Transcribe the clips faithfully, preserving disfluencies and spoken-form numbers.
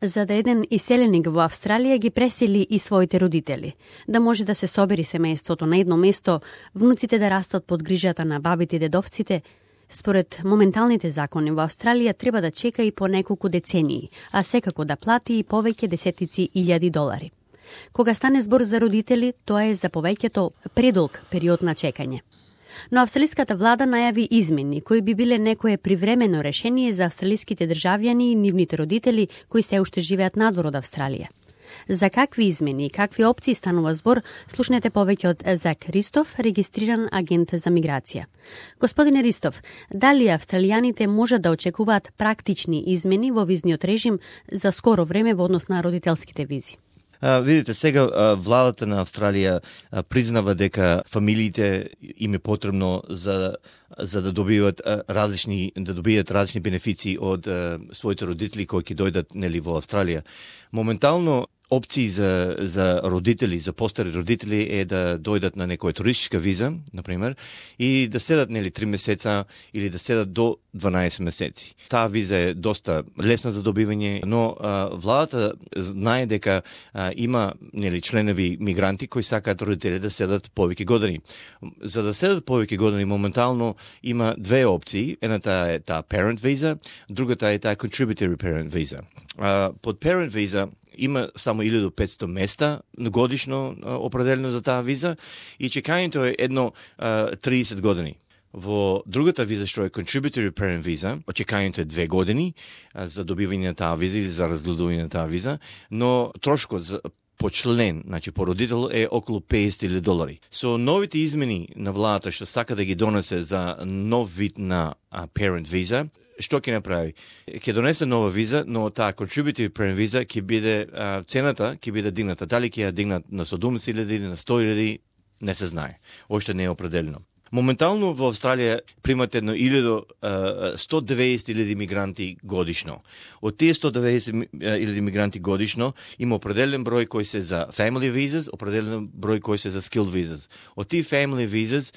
За да еден иселеник во Австралија ги пресели и своите родители, да може да се собери семејството на едно место, внуците да растат под грижата на бабите и дедовците, според моменталните закони во Австралија треба да чека и по неколку децении, а секако да плати и повеќе десетици илјади долари. Кога стане збор за родители, тоа е за повеќето предолг период на чекање. Но австралиската влада најави измени кои би биле некое привремено решение за австралиските државјани и нивните родители кои се уште живеат надвор од Австралија. За какви измени и какви опции станува збор, слушнете повеќе од Зак Ристов, регистриран агент за миграција. Господине Ристов, дали австралијаните можат да очекуваат практични измени во визниот режим за скоро време во однос на родителските визи? А, видите, сега а, владата на Австралија а, признава дека фамилиите им е потребно за за да добиват а, различни да добијат различни бенефиции од а, своите родители кои ќе дојдат нели во Австралија. Моментално опции за за родители, за постари родители е да дојдат на некоја туристичка виза, на пример, и да седат нели три месеца или да седат до дванаесет месеци. Таа виза е доста лесна за добивање, но а, владата знае дека а, има нели членови мигранти кои сакаат родители да седат повеќе години. За да седат повеќе години моментално има две опции. Едната е таа parent visa, другата е таа contributory parent visa. А, под parent visa има само илјада и петстотини места годишно определено за таа виза и чекањето е едно а, триесет години. Во другата виза, што е Contributory Parent Visa, очекањето е две години а, за добивање на таа виза или за разгледување на таа виза, но трошкот за по член, значи по родител е околу песет илјади долари. Со новите измени на владата што сака да ги донесе за нов вид на а, Parent Visa, што ќе направи? Ќе донесе нова виза, но таа contributory parent visa ќе биде а, цената ќе биде дигната. Дали ќе ја дигнат на седумдесет илјади или на сто илјади, не се знае. Оште не е определено. Моментално во Австралија примат едно сто деветдесет илјади мигранти годишно. Од тие сто деветдесет илјади мигранти годишно има определен број кои се за family visas, определен број кои се за skilled visas. Од тие family visas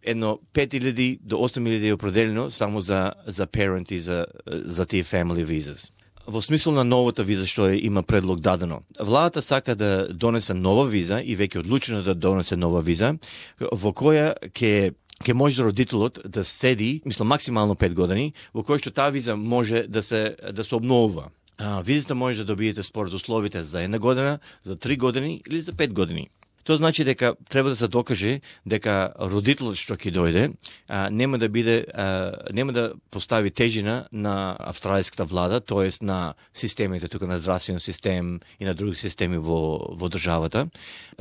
едно пет илјади до осем илјади е определено само за за parent и за за тие family visas. Во смисол на новата виза што е, има предлог дадено. Владата сака да донесе нова виза и веќе одлучено да донесе нова виза во која ќе ќе може родителот да седи, мислам максимално пет години, во кој што таа виза може да се да се обновува. А, визата може да добиете според условите за една година, за три години или за пет години. Тоа значи дека треба да се докаже дека родителот што ќе дојде а, нема да биде а, нема да постави тежина на австралиската влада, тоест на системите тука на здравствен систем и на други системи во во државата.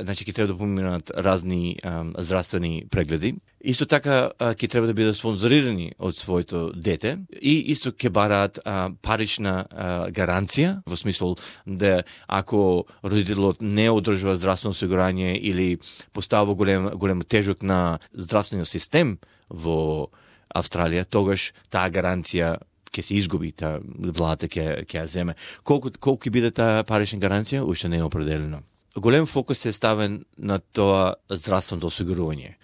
Значи ќе треба да поминат разни а, здравствени прегледи. Исто така ќе треба да бидат спонзорирани од своето дете и исто ќе бараат а, парична а, гаранција, во смисол да ако родителот не одржува здравствено осигурање или поставува голем голем тежок на здравствениот систем во Австралија, тогаш таа гаранција ќе се изгуби, таа владата ќе ќе ја земе. Колку колку ќе биде таа парична гаранција, уште не е определено. Голем фокус е ставен на тоа здравствено осигурување.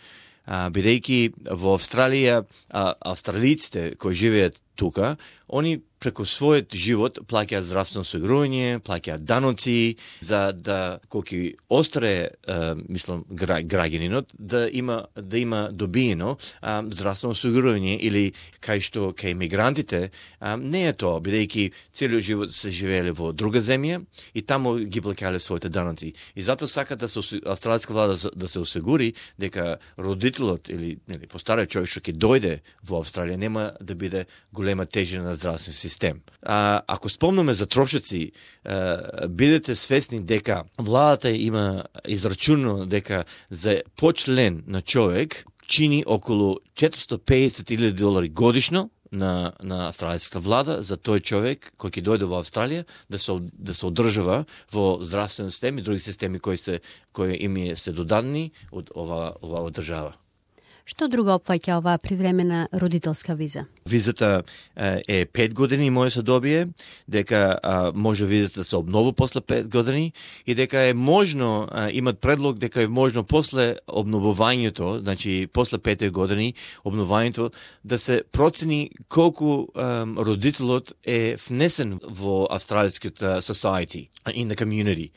А, бидејќи во Австралија а, австралиците кои живеат тука, они преку својот живот плаќаат здравствено осигурување, плаќаат даноци за да колку остре, е, мислам, граѓанинот да има да има добиено а, здравствено осигурување или кај што кај мигрантите а, не е тоа, бидејќи целиот живот се живееле во друга земја и таму ги плаќале своите даноци. И затоа сака да се австралиска влада да се осигури дека родителот или нели постариот човек што ќе дојде во Австралија нема да биде голема тежина на здравствен систем. А, ако спомнаме за трошоци, а, бидете свесни дека владата има израчунено дека за почлен на човек чини околу четиристотини и песет илјади долари годишно на на австралиската влада за тој човек кој ќе дојде во Австралија да се да се одржува во здравствен систем и други системи кои се кои им се додадени од ова ова држава. Што друго опфаќа оваа привремена родителска виза? Визата е пет години и може се добие, дека а, може визата да се обновува после пет години и дека е можно, а, имат предлог дека е можно после обновувањето, значи после пет години обновувањето, да се процени колку а, родителот е внесен во австралиската society, in the community.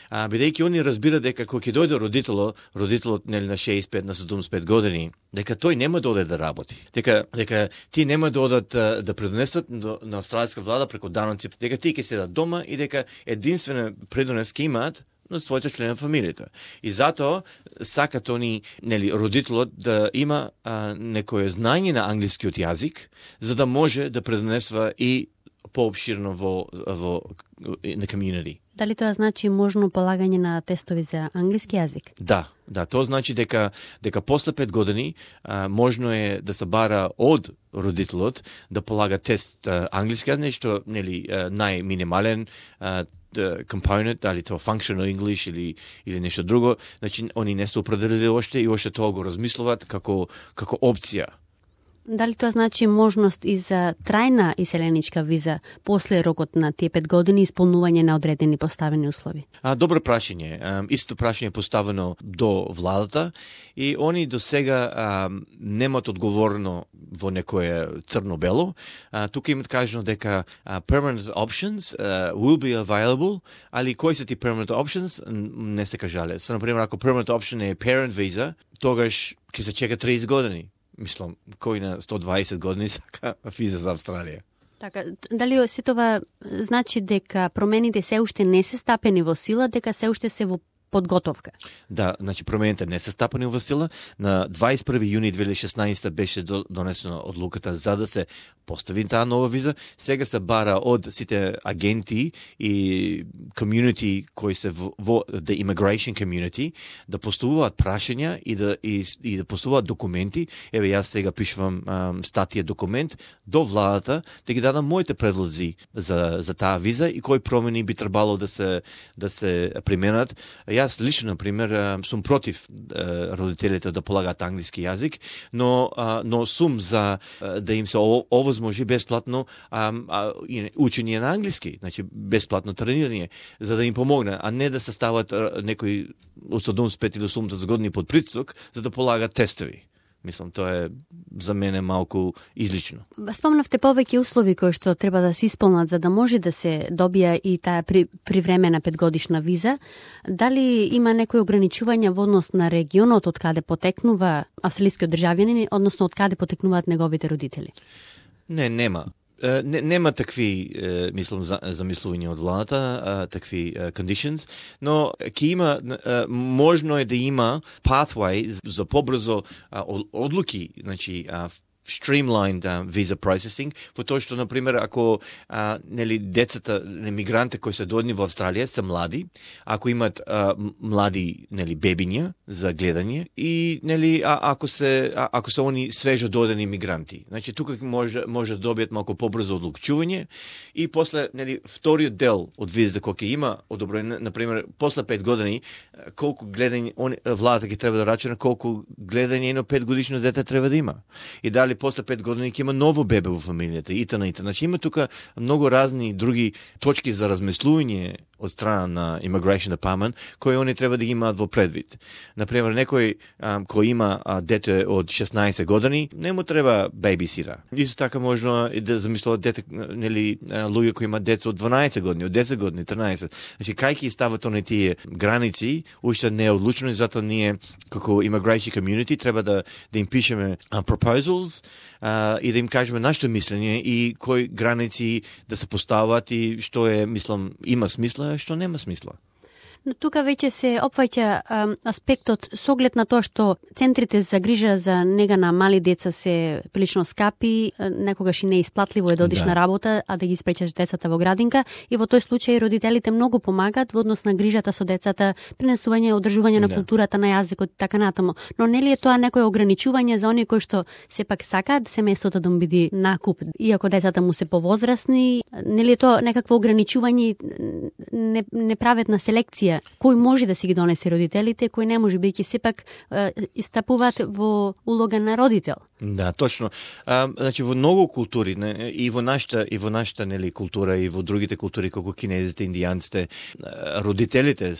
А, бидејќи они разбира дека кога ќе дојде родителот, родителот нели на шеесет и пет на седумдесет и пет години, дека тој нема да оде да работи. Дека дека ти нема да одат да, да предонесат на австралиска влада преку даноци, дека ти ќе седат дома и дека единствена предонес ќе имаат на своите члени на фамилијата. И затоа сакат они, нели, родителот да има а, некое знање на англискиот јазик, за да може да предонесва и поопширно во во на community. Дали тоа значи можно полагање на тестови за англиски јазик? Да, да, тоа значи дека дека после пет години а, можно е да се бара од родителот да полага тест а, англиски јазик, нешто нели најминимален а, компонент, дали тоа functional English или или нешто друго. Значи они не се определили оште и оште тоа го размислуваат како како опција. Дали тоа значи можност и за трајна иселеничка виза после рокот на тие пет години исполнување на одредени поставени услови? А, добро прашање. Исто прашање поставено до владата и они до сега а, немат одговорно во некое црно-бело. А, тука имат кажано дека а, permanent options uh, will be available, али кои се ти permanent options не се кажале. Со, например, ако permanent option е parent visa, тогаш ќе се чека триесет години. Мислам, кој на сто дваесет години сака виза за Австралија. Така, дали се това значи дека промените се уште не се стапени во сила, дека се уште се во подготовка? Да, значи промените не се стапени во сила. На дваесет и први јуни две илјади и шеснаесета беше донесена одлуката за да се постави таа нова виза. Сега се бара од сите агенти и community кои се во, во the immigration community да поставуваат прашања и да и, и да поставуваат документи. Еве јас сега пишувам um, статија документ до владата да ги дадам моите предлози за за таа виза и кои промени би требало да се да се применат. Јас лично, например, сум против родителите да полагаат англиски јазик, но но сум за да им се овозможи бесплатно а, а, учење на англиски, значи бесплатно тренирање, за да им помогне, а не да се стават некои од седумдесет и пет или осумдесет години под притисок за да полагат тестови. Мислам, тоа е за мене малку излично. Спомнавте повеќе услови кои што треба да се исполнат за да може да се добија и таа при, привремена петгодишна виза. Дали има некои ограничувања во однос на регионот од каде потекнува австралискиот државјанин, односно од каде потекнуваат неговите родители? Не, нема. Не, нема такви, мислам, замислувања од владата, такви conditions, но ќе има, можно е да има pathway за побрзо одлуки, значи streamlined uh, visa processing, во тоа што, например, ако а, нели, децата, мигранти кои се дојдени во Австралија се млади, ако имат а, млади нели, бебиња за гледање и нели, а, ако се а, ако се они свежо дојдени мигранти. Значи тука може може да добијат малку побрзо одлучување и после нели вториот дел од виза кој ќе има одобрено, например, после пет години колку гледање он владата ќе треба да рачуна колку гледање едно петгодишно дете треба да има. И дали после пет години ќе има ново бебе во фамилијата и т.н. Значи има тука многу разни други точки за размислување од страна на Immigration Department кои они треба да ги имаат во предвид. Например, некој а, кој има а, дете од шеснаесет години, не му треба бебисира. Исто така можно и да замислуват дете, нели, луѓе кои имаат деца од дванаесет години, од десет години, тринаесет. Значи, кај ќе стават они тие граници, уште не е одлучено и затоа ние како Immigration Community треба да да им пишеме uh, proposals uh, и да им кажеме нашето мислење и кои граници да се постават и што е, мислам, има смисла, што нема смисла. Но тука веќе се опфаќа аспектот со оглед на тоа што центрите за грижа за нега на мали деца се прилично скапи, некогаш и неисплатливо е да одиш да. на работа, а да ги испречеш децата во градинка, и во тој случај родителите многу помагаат во однос на грижата со децата, пренесување, одржување на да. културата, на јазикот и така натаму. Но нели е тоа некој ограничување за оние кои што сепак сакаат семејството да му биде накуп, иако децата му се повозрасни, нели е тоа некакво ограничување, неправедна селекција може, кој може да си ги донесе родителите, кој не може, бидејќи сепак истапуваат во улога на родител. Да, точно. А, значи во многу култури, не, и во нашата и во нашата нели култура и во другите култури како кинезите, индијанците, родителите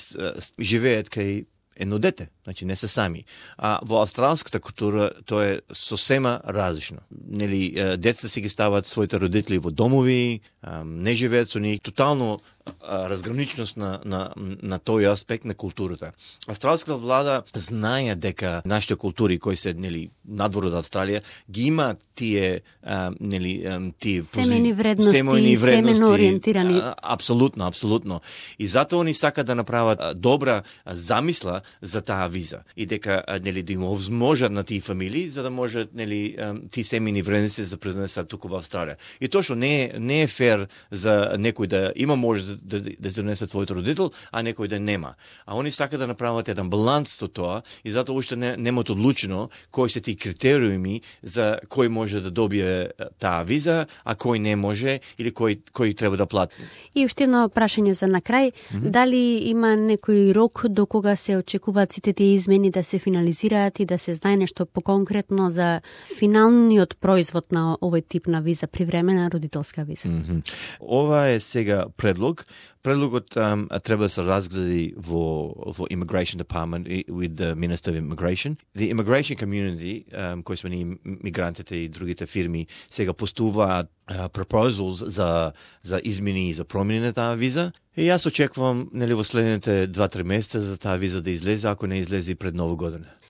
живеат кај едно дете, значи не се сами. А во австралската култура тоа е сосема различно. Нели децата си ги стават своите родители во домови, не живеат со нив, тотално разграничност на, на, на тој аспект на културата. Австралската влада знае дека нашите култури кои се нели надвор од Австралија ги има тие а, нели тие семени вредности, семени вредности, семено ориентирани. А, апсолутно, апсолутно. И затоа они сакаат да направат а, добра а, замисла за таа виза и дека а, нели да им овозможат на тие фамилии за да можат нели тие семени вредности да пренесат туку во Австралија. И тоа што не е не е фер за некој да има може да, да, да се донесе својот родител, а некој да нема. А они сакаат да направат еден баланс со тоа и затоа уште не, немаат одлучено кои се тие критериуми за кој може да добие таа виза, а кој не може или кој кој треба да плати. И уште едно прашање за на крај, mm-hmm. дали има некој рок до кога се очекуваат сите тие измени да се финализираат и да се знае нешто поконкретно за финалниот производ на овој тип на виза, привремена родителска виза? Mm-hmm. Ова е сега предлог. Предлогот um, треба да се разгледи во, во Immigration Department with the Minister of Immigration. The immigration community, um, кои сме ние мигрантите и другите фирми, сега постуваат uh, proposals за, за измени и за промени на таа виза. И јас очекувам нели, во следните два-три месеца за таа виза да излезе, ако не излезе пред Нова година.